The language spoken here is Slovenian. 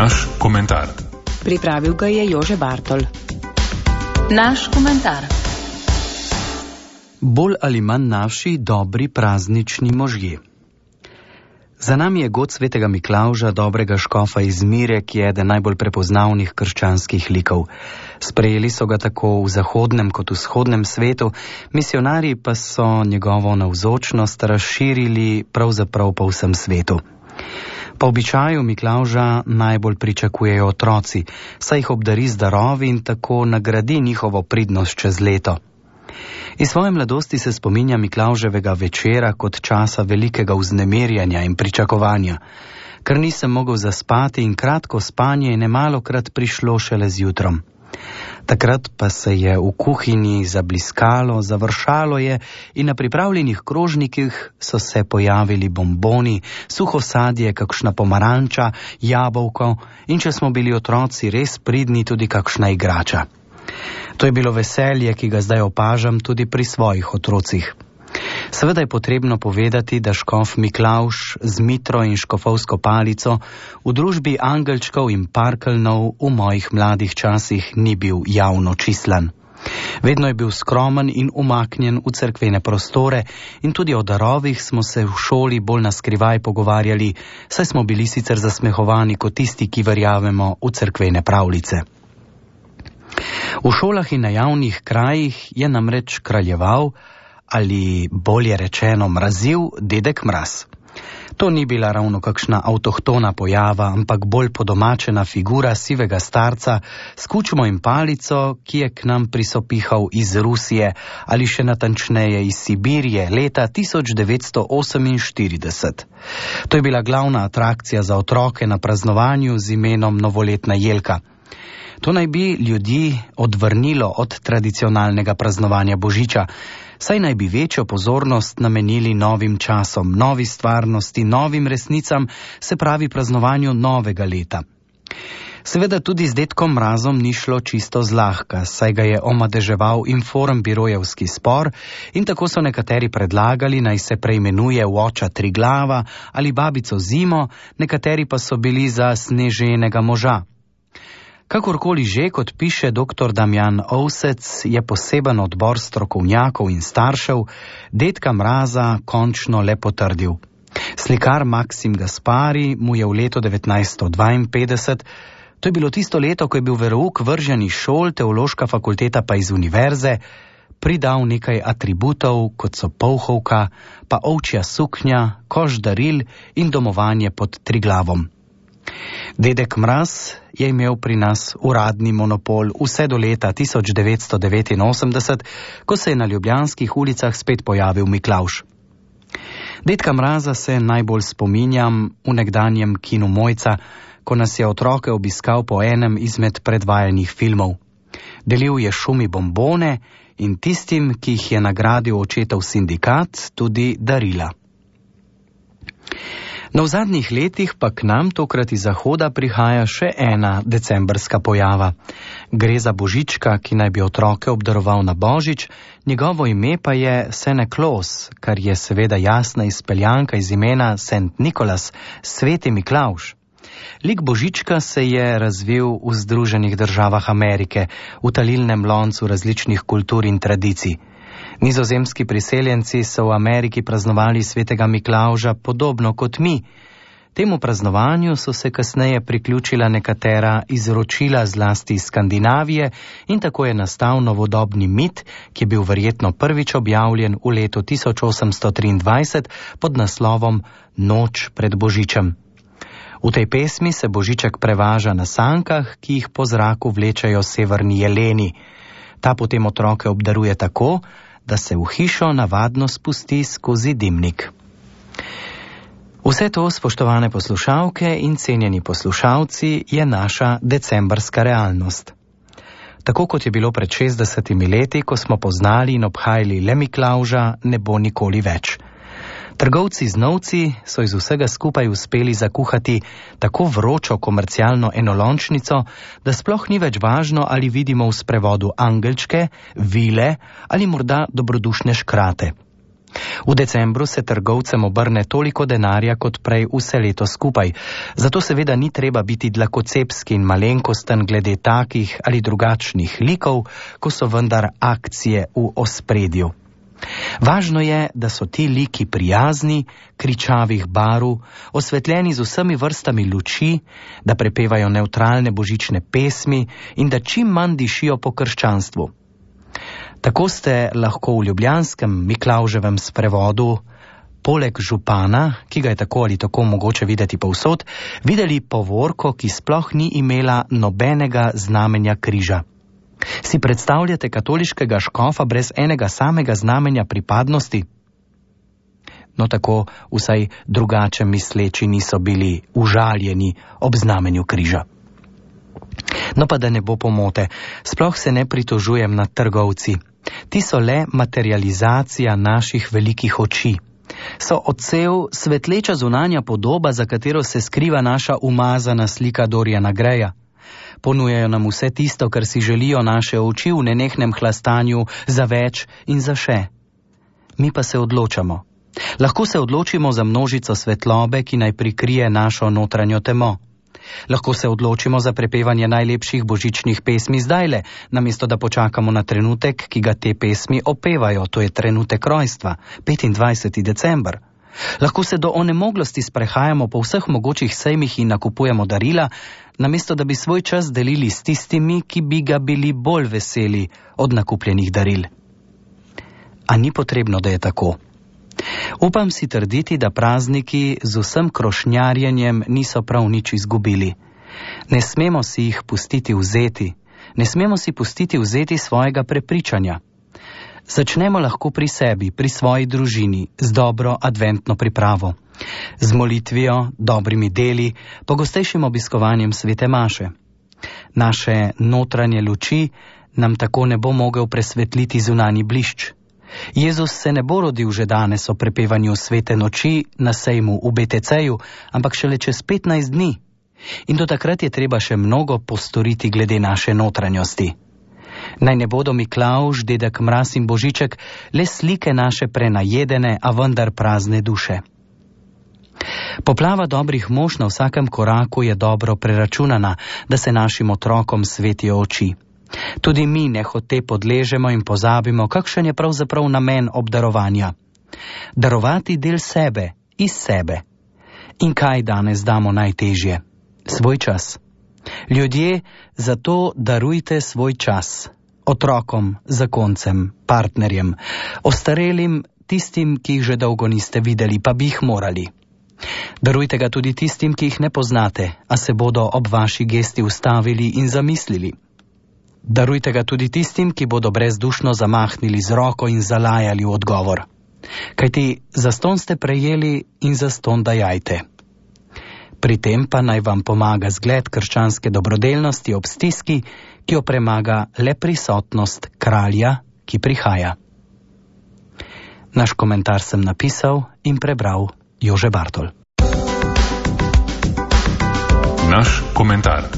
Naš komentar. Pripravil ga je Jože Bartol. Naš komentar. Bolj ali manj naši dobri praznični možje. Za nami je god svetega Miklavža, dobrega škofa iz Mire, ki je eden najbolj prepoznavnih krščanskih likov. Sprejeli so ga tako v zahodnem kot v vzhodnem svetu, misionarji pa so njegovo navzočnost razširili pravzaprav po vsem svetu. Po običaju Miklavža najbolj pričakujejo otroci, saj jih obdari z darovi in tako nagradi njihovo pridnost čez leto. Iz svoje mladosti se spominja Miklavževega večera kot časa velikega vznemirjanja in pričakovanja, ker nisem mogel zaspati in kratko spanje je nemalokrat prišlo šele z jutrom. Takrat pa se je v kuhinji zabliskalo, završalo je in na pripravljenih krožnikih so se pojavili bomboni, suho sadje, kakšna pomaranča, jabolko in če smo bili otroci res pridni, tudi kakšna igrača. To je bilo veselje, ki ga zdaj opažam tudi pri svojih otrocih. Seveda je potrebno povedati, da škof Miklavž z mitro in škofovsko palico v družbi angelčkov in parkeljnov v mojih mladih časih ni bil javno čislan. Vedno je bil skromen in umaknjen v cerkvene prostore in tudi o darovih smo se v šoli bolj naskrivaj pogovarjali, saj smo bili sicer zasmehovani kot tisti, ki verjamemo v cerkvene pravljice. V šolah in na javnih krajih je namreč kraljeval, ali bolje rečeno mrazil, dedek Mraz. To ni bila ravno kakšna avtohtona pojava, ampak bolj podomačena figura sivega starca s kučmo in palico, ki je k nam prisopihal iz Rusije ali še natančneje iz Sibirije leta 1948. To je bila glavna atrakcija za otroke na praznovanju z imenom Novoletna jelka. To naj bi ljudi odvrnilo od tradicionalnega praznovanja Božiča, saj naj bi večjo pozornost namenili novim časom, novi stvarnosti, novim resnicam, se pravi praznovanju novega leta. Seveda tudi z dedkom Mrazom ni šlo čisto zlahka, saj ga je omadeževal informbirojevski spor in tako so nekateri predlagali, naj se preimenuje v oča Triglava ali babico Zimo, nekateri pa so bili za sneženega moža. Kakorkoli že, kot piše dr. Damjan Ovsec, je poseben odbor strokovnjakov in staršev dedka Mraza končno le potrdil. Slikar Maksim Gaspari mu je v letu 1952, to je bilo tisto leto, ko je bil verouk vržen iz šol, teološka fakulteta pa iz univerze, pridal nekaj atributov, kot so polhovka, pa ovčja suknja, koš daril in domovanje pod Triglavom. Dedek Mraz je imel pri nas uradni monopol vse do leta 1989, ko se je na ljubljanskih ulicah spet pojavil Miklavž. Dedka Mraza se najbolj spominjam v nekdanjem kinu Mojca, ko nas je otroke obiskal po enem izmed predvajanih filmov. Delil je šumi bombone in tistim, ki jih je nagradil očetov sindikat, tudi darila. No, v zadnjih letih pa k nam tokrat iz zahoda prihaja še ena decembrska pojava. Gre za Božička, ki naj bi otroke obdaroval na Božič, njegovo ime pa je Santa Claus, kar je seveda jasna izpeljanka iz imena St. Nicholas, sveti Miklavž. Lik Božička se je razvil v Združenih državah Amerike, v talilnem loncu različnih kultur in tradicij. Nizozemski priseljenci so v Ameriki praznovali svetega Miklavža podobno kot mi. Temu praznovanju so se kasneje priključila nekatera izročila zlasti iz Skandinavije in tako je nastal novodobni mit, ki je bil verjetno prvič objavljen v letu 1823 pod naslovom Noč pred Božičem. V tej pesmi se Božiček prevaža na sankah, ki jih po zraku vlečajo severni jeleni. Ta potem otroke obdaruje tako, da se v hišo navadno spusti skozi dimnik. Vse to, spoštovane poslušalke in cenjeni poslušalci, je naša decembrska realnost. Tako kot je bilo pred 60 leti, ko smo poznali in obhajali le Miklavža, ne bo nikoli več. Trgovci z novci so iz vsega skupaj uspeli zakuhati tako vročo komercialno enolončnico, da sploh ni več važno, ali vidimo v sprevodu angelčke, vile ali morda dobrodušne škrate. V decembru se trgovcem obrne toliko denarja kot prej vse leto skupaj, zato seveda ni treba biti dlakocepski in malenkosten glede takih ali drugačnih likov, ko so vendar akcije v ospredju. Važno je, da so ti liki prijazni, kričavih barv, osvetljeni z vsemi vrstami luči, da prepevajo nevtralne božične pesmi in da čim manj dišijo po krščanstvu. Tako ste lahko v ljubljanskem Miklavževem sprevodu, poleg župana, ki ga je tako ali tako mogoče videti povsod, videli povorko, ki sploh ni imela nobenega znamenja križa. Si predstavljate katoliškega škofa brez enega samega znamenja pripadnosti? No, tako vsaj drugače misleči niso bili užaljeni ob znamenju križa. No pa da ne bo pomote, sploh se ne pritožujem nad trgovci. Ti so le materializacija naših velikih oči. So odsev svetleča zunanja podoba, za katero se skriva naša umazana slika Doriana Greja. Ponujajo nam vse tisto, kar si želijo naše oči v nenehnem hlastanju za več in za še. Mi pa se odločamo. Lahko se odločimo za množico svetlobe, ki naj prikrije našo notranjo temo. Lahko se odločimo za prepevanje najlepših božičnih pesmi zdajle, namesto da počakamo na trenutek, ki ga te pesmi opevajo, to je trenutek rojstva, 25. december. Lahko se do onemoglosti sprehajamo po vseh mogočih sejmih in nakupujemo darila, namesto da bi svoj čas delili s tistimi, ki bi ga bili bolj veseli od nakupljenih daril. A ni potrebno, da je tako. Upam si trditi, da prazniki z vsem krošnjarjenjem niso prav nič izgubili. Ne smemo si jih pustiti vzeti, ne smemo si pustiti vzeti svojega prepričanja. Začnemo lahko pri sebi, pri svoji družini, z dobro adventno pripravo, z molitvijo, dobrimi deli, pogostejšim obiskovanjem svete maše. Naše notranje luči nam tako ne bo mogel presvetliti zunanji blišč. Jezus se ne bo rodil že danes o prepevanju svete noči na sejmu v BTC-ju, ampak šele čez 15 dni. In do takrat je treba še mnogo postoriti glede naše notranjosti. Naj ne bodo Miklavž, dedek Mraz in Božiček le slike naše prenajedene, a vendar prazne duše. Poplava dobrih mož na vsakem koraku je dobro preračunana, da se našim otrokom svetijo oči. Tudi mi nehote podležemo in pozabimo, kakšen je pravzaprav namen obdarovanja. Darovati del sebe, iz sebe. In kaj danes damo najtežje? Svoj čas. Ljudje, zato darujte svoj čas. Otrokom, zakoncem, partnerjem, ostarelim, tistim, ki jih že dolgo niste videli, pa bi jih morali. Darujte ga tudi tistim, ki jih ne poznate, a se bodo ob vaši gesti ustavili in zamislili. Darujte ga tudi tistim, ki bodo brezdušno zamahnili z roko in zalajali v odgovor. Kajti zastonj ste prejeli in zastonj dajajte. Pri tem pa naj vam pomaga zgled krščanske dobrodelnosti ob stiski, ki jo premaga le prisotnost kralja, ki prihaja. Naš komentar sem napisal in prebral Jože Bartol. Naš komentar.